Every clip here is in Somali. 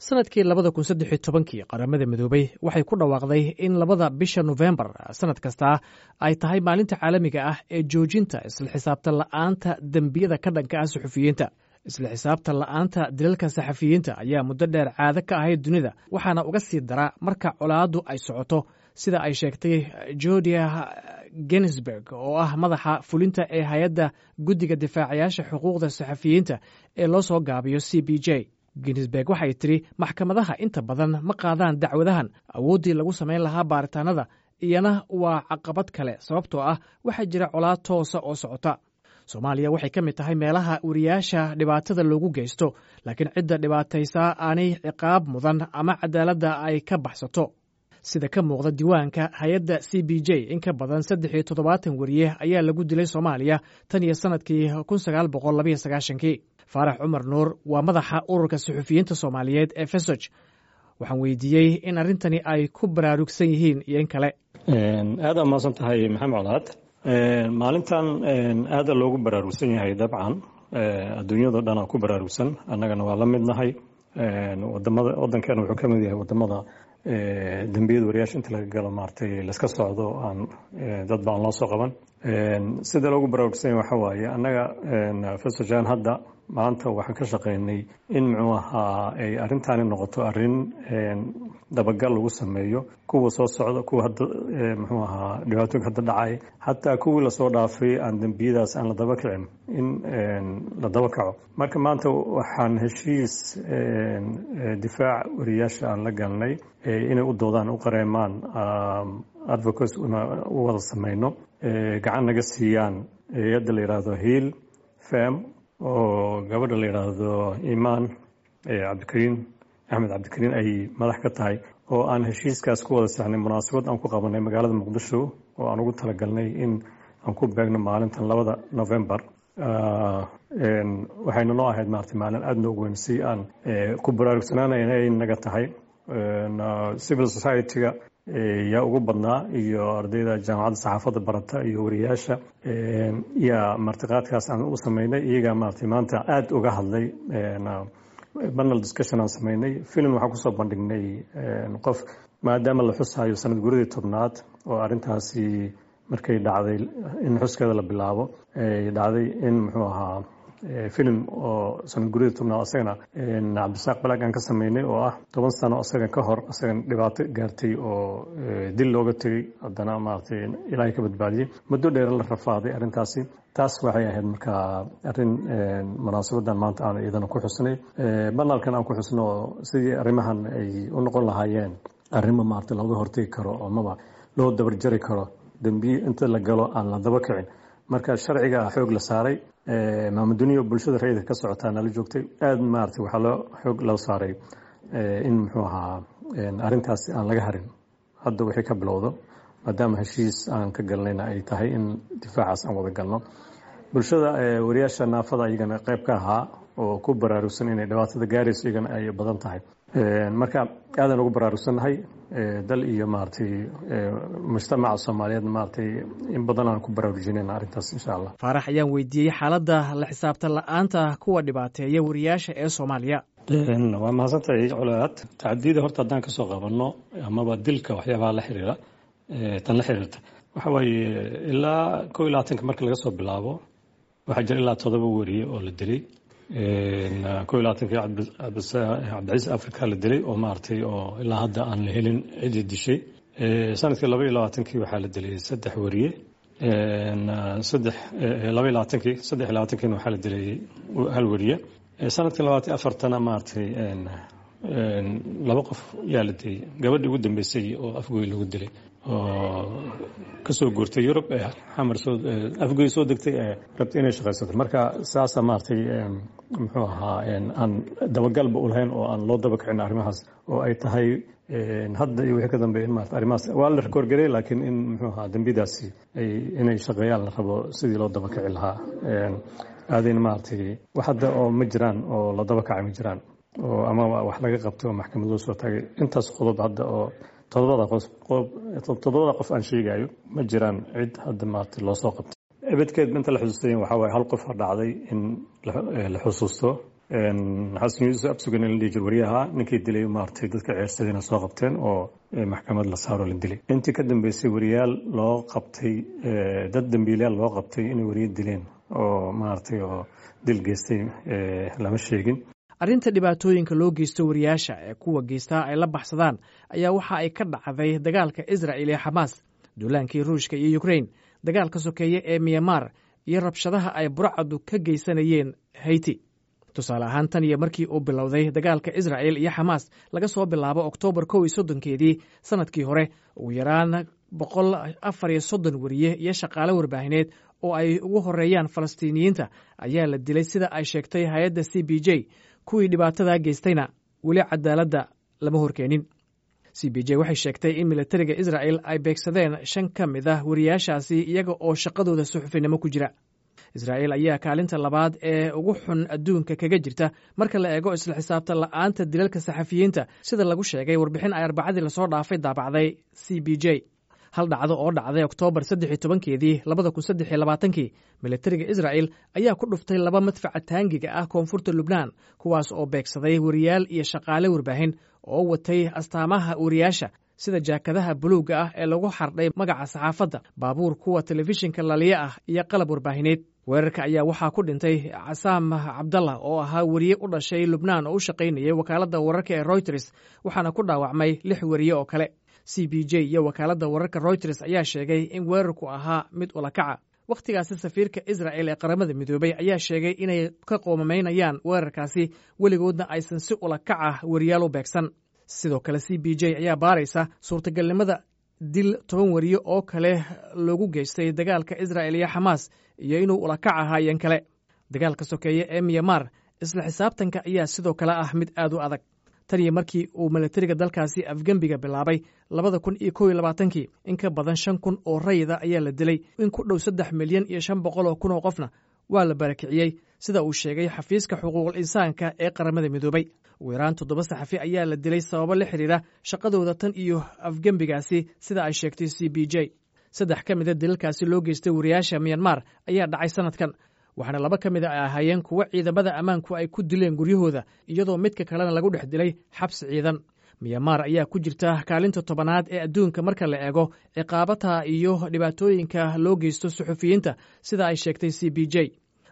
Sanadkii 2013-kii, Qaramada Midoobey waxay ku dhawaaqday in 2da bisha Nofembar sanad kastaa ay tahay maalinta caalamiga ah ee joojinta isla xisaabtan la'aanta dembiyada ka dhanka ah suxufiyiinta. Isla xisaabtan la'aanta dilalka saxafiyiinta ayaa muddo dheer caado ka ahayd dunida, waxaana uga sii daraa marka colaaddu ay socoto, sida ay sheegtay Jordia Gensberg, oo ah madaxa fulinta ee hay-adda guddiga difaacayaasha xuquuqda saxafiyiinta ee loo soo gaabiyo CPJ. Ginsberg waxay tidhi maxkamadaha inta badan ma qaadaan dacwadahan. Awooddii lagu samayn lahaa baaritaanada iyana waa caqabad kale, sababtoo ah waxaa jira colaad toosa oo socota. Soomaaliya waxay ka mid tahay meelaha wariyaasha dhibaatada loogu geysto, laakiin cidda dhibaataysaa aanay ciqaab mudan ama cadaaladda ay ka baxsato. Sida ka muuqda diiwaanka hay-adda CPJ, in ka badan 73 wariye ayaa lagu dilay Soomaaliya tan iyo sanadkii 1992-kii. Faarax Cumar Nuur waa madaxa ururka suxufiyiinta Soomaaliyeed ee FESOJ. Waxaan weydiiyey in arrintani ay ku baraarugsan yihiin iyo in kale. Aada mahadsan tahay, Maxamed Colaad. Maalintan aada loogu baraarugsan yahay, dabcan adduunyado dhan aa ku baraarugsan, annagana waa la midnahay. Wadamada wadankeena wuxuu ka mid yahay wadamada dembiyada wariyaasha inta laga galo maaragtay laska socdo, aan dad ba aan loo soo qaban. Sida loogu baraarugsan yahay waxa waaye, annaga FESOJAN hadda maanta waxaan ka shaqeynay in muxuu ahaa ay arrintaani noqoto arrin dabagal lagu sameeyo, kuwa soo socda, kuwa hadda muxuu ahaa dhibaatooyinka hadda dhacay, xataa kuwii lasoo dhaafay aan dembiyadaas aan la daba kicin in la daba kaco. Marka maanta waxaan heshiis difaac wariyaasha aan la galnay inay u doodaan, u qareemaan, advocates u wada sameyno, gacan naga siiyaan hay-adda la yidhaahdo Hiil Fem, oo gabadha la yidhaahdo Imaan Cabdikariin Axmed Cabdikariin ay madax ka tahay, oo aan heshiiskaas ku wada saxnay munaasabad aan ku qabanay magaalada Muqdisho, oo aan ugu talagalnay in aan ku beegno maalintan 2da November. Waxayna noo ahayd maarata maalin aada noogu weyn si aan ku baraarugsanaanayna ay naga tahay. Civil society-ga yaa ugu badnaa, iyo ardayda jaamacadda saxaafadda barata iyo wariyaasha yaa martiqaadkaas aan u sameynay. Iyagaa maarata maanta aada uga hadlay. Panel discussion aan sameynay, film waxaan kusoo bandhignay qof, maadaama la xusayo sanad guradii 10aad oo arrintaasi markay dhacday in xuskeeda la bilaabo dhacday, in muxuu ahaa film oo sanad guradii 10aad asagana Cabdisaaq Balaag aan ka sameynay, oo ah 10 sano asaga ka hor asagan dhibaato gaartay oo dil looga tegey, haddana maaragtay Ilaahay ka badbaadiyey, muddo dheer la rafaaday arrintaasi. Taas waxay ahayd markaa arrin munaasabadan maanta aan iyadana ku xusnay, banalkan aan ku xusno, sidii arrimahan ay u noqon lahaayeen arrimo maaragtay looga hortegi karo amaba loo dabarjari karo dembiye inta la galo aan la daba kicin. Marka sharciga xoog la saaray, maamaduniyo bulshada rayidka ka socotaa nala joogtay, aada maaragtay waxaa loo xoog loo saaray in muxuu ahaa arrintaasi aan laga harin hadda wixii ka bilowdo, maadaama heshiis aan ka galnayna ay tahay in difaacaas aan wada galno. Bulshada wariyaasha naafada iyagana qayb ka ahaa oo ku baraarugsan inay dhibaatada gaarayso iyagana ay badan tahay. Marka aadaan ugu baraarugsannahay dal iyo maaragtay mujtamaca Soomaaliyeed, maaragtay in badan aan ku baraarujinayna arrintaas, insha Allah. Faarax ayaan weydiiyey xaaladda la xisaabtan la-aanta kuwa dhibaateeya wariyaasha ee Soomaaliya. Waa mahadsantahay, Colaad. Tacadiyada horta haddaan kasoo qabanno amaba dilka, waxyaabaha la xiriira tan la xiriirta waxa waaye, ilaa 21-ka marka laga soo bilaabo waxaa jira ilaa 7 wariye oo la dilay. 21-kii Cabdicasiis Africa la dilay, oo maaragtay oo ilaa hadda aan la helin ciddii dishay. Sanadkii 22-kii waxaa la dilay 3 wariye, saddex 22-kii, 23-kiina waxaa la dilay hal wariye. Sanadkii 24-tana maaragtay 2 qof yaa la dilay, gabadhii ugu dambeysay oo Afgoy lagu dilay, oo kasoo guurtay Yurub ee Xamar soo Afgoy soo degtay ee rabtay inay shaqaysato. Marka saasa maaragtay muxuu ahaa aan dabagalba u lahayn oo aan loo daba kicin arrimahaas, oo ay tahay hadda iyo wixii ka dambeeya in maarata arrimahaas waa la rikoorgarey, laakiin in muxuu ahaa dembidaasi ay inay shaqeeyaan la rabo sidii loo daba kici lahaa. Aadayna maaragtay wax hadda oo ma jiraan oo la daba kacay ma jiraan oo ama wax laga qabto oo maxkamad loo soo taagay. Intaas qodob hadda oo todobada qof, toddobada qof aan sheegayo, ma jiraan cid hadda maaragtay loo soo qabtay. Ebedkeed inta la xusuustay waxaa waaye hal qof ha dhacday in la xusuusto. Xasan Yuusuf Absugan in la dhihi jir wariyaha ninkii dilay maaragtay dadka ceersadayna soo qabteen oo maxkamad la saaro la dilay. Intii ka dambeysay wariyaal loo qabtay, dad dambiilayaal loo qabtay inay wariye dileen oo maaragtay oo dil geystay lama sheegin. Arrinta dhibaatooyinka loo geysto wariyaasha ee kuwa geystaa ay la baxsadaan ayaa waxa ay ka dhacday dagaalka Israa'il ee Xamaas, duulaankii Ruushka iyo Ukrain, dagaalka sokeeye ee Myanmar iyo rabshadaha ay burcadu ka geysanayeen Haiti. Tusaale ahaan, tan iyo markii uu bilowday dagaalka Israa'il iyo Xamaas laga soo bilaabo Oktoobar 31-keedii sanadkii hore, ugu yaraan 134 wariye iyo shaqaale warbaahineed oo ay ugu horeeyaan Falastiiniyiinta ayaa la dilay, sida ay sheegtay hay-adda CPJ. Kuwii dhibaatadaa geystayna weli cadaaladda lama horkeenin. CPJ waxay sheegtay in militariga Israa'il ay beegsadeen shan ka mid ah wariyaashaasi iyaga oo shaqadooda suxufinimo ku jira. Israa'iil ayaa kaalinta labaad ee ugu xun adduunka kaga jirta marka la eego isla xisaabtan la'aanta dilalka saxafiyiinta, sida lagu sheegay warbixin ay Arbacadii lasoo dhaafay daabacday CPJ. Hal dhacdo oo dhacday Oktoobar 13-keedii 2023-kii, militariga Israa'il ayaa ku dhuftay laba madfaca taangiga ah koonfurta Lubnaan, kuwaas oo beegsaday wariyaal iyo shaqaale warbaahin oo watay astaamaha wariyaasha, sida jaakadaha buluugga ah ee lagu xardhay magaca saxaafadda, baabuur kuwa telefishinka laliya ah iyo qalab warbaahineed. Weerarka ayaa waxaa ku dhintay Casaam Cabdallah oo ahaa weriye u dhashay Lubnaan oo u shaqaynayay wakaaladda wararka ee Reuters, waxaana ku dhaawacmay lix weriye oo kale. CPJ iyo wakaaladda wararka Reuters ayaa sheegay in weerarku ahaa mid ulakaca. Wakhtigaasi safiirka Israa'il ee Qaramada Midoobay ayaa sheegay inay ka qoomamaynayaan weerarkaasi, weligoodna aysan si ulakaca weriyaal u beegsan. Sidoo kale CPJ ayaa baaraysa suurtagalnimada dil 10 weriye oo kale loogu geystay dagaalka Israa'il iyo Xamaas iyo inuu ulakac ahaayeen kale. Dagaalka sokeeye ee Myanmar, isla xisaabtanka ayaa sidoo kale ah mid aad u adag. Tan iyo markii uu militariga dalkaasi afgembiga bilaabay 2021-kii, in ka badan 5000 oo rayida ayaa la dilay, in ku dhow 3,500,000 oo qofna waa la barakiciyey, sida uu sheegay xafiiska xuquuqul insaanka ee Qaramada Midoobay. Ugu yaraan toddoba saxafi ayaa la dilay sababo la xidhiira shaqadooda tan iyo afgembigaasi, sida ay sheegtay CPJ. Saddex ka mida dilalkaasi loo geystay wariyaasha Myanmar ayaa dhacay sanadkan, waxaana laba ka mida ay ahaayeen kuwo ciidamada ammaanku ay ku dileen guryahooda, iyadoo midka kalena lagu dhex dilay xabsi ciidan. Myanmar ayaa ku jirta kaalinta 10aad ee adduunka marka la eego ciqaabata iyo dhibaatooyinka loo geysto suxufiyiinta, sida ay sheegtay CPJ.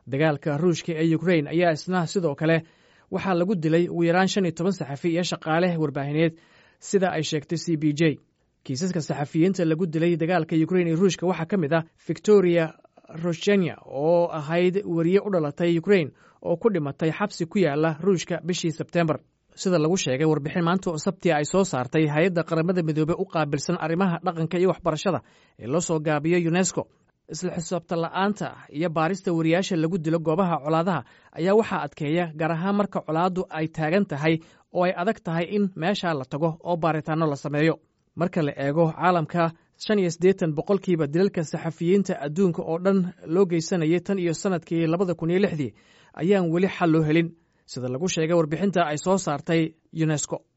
Dagaalka Ruushka ee Ukrain ayaa isna sidoo kale waxaa lagu dilay ugu yaraan 15 saxafi iyo shaqaale warbaahineed, sida ay sheegtay CPJ. Kiisaska saxafiyiinta lagu dilay dagaalka Ukrain iyo Ruushka waxaa ka mid ah Victoria Roshenya oo ahayd weriye u dhalatay Ukrain oo ku dhimatay xabsi ku yaala Ruushka bishii Sebtembar, sida lagu sheegay warbixin maanta oo Sabtia ay soo saartay hay-adda Qaramada Midoobey u qaabilsan arrimaha dhaqanka iyo waxbarashada ee loo soo gaabiyo UNESCO. Isla xisaabtan la'aanta iyo baarista wariyaasha lagu dilo goobaha colaadaha ayaa waxaa adkeeya, gaar ahaan marka colaaddu ay taagan tahay oo ay adag tahay in meeshaa la tago oo baaritaanno la sameeyo. Marka la eego caalamka, 85% dilalka saxafiyiinta adduunka oo dhan loo geysanayay tan iyo sanadkii 2006-dii ayaan weli xal loo helin, sida lagu sheegay warbixinta ay soo saartay UNESCO.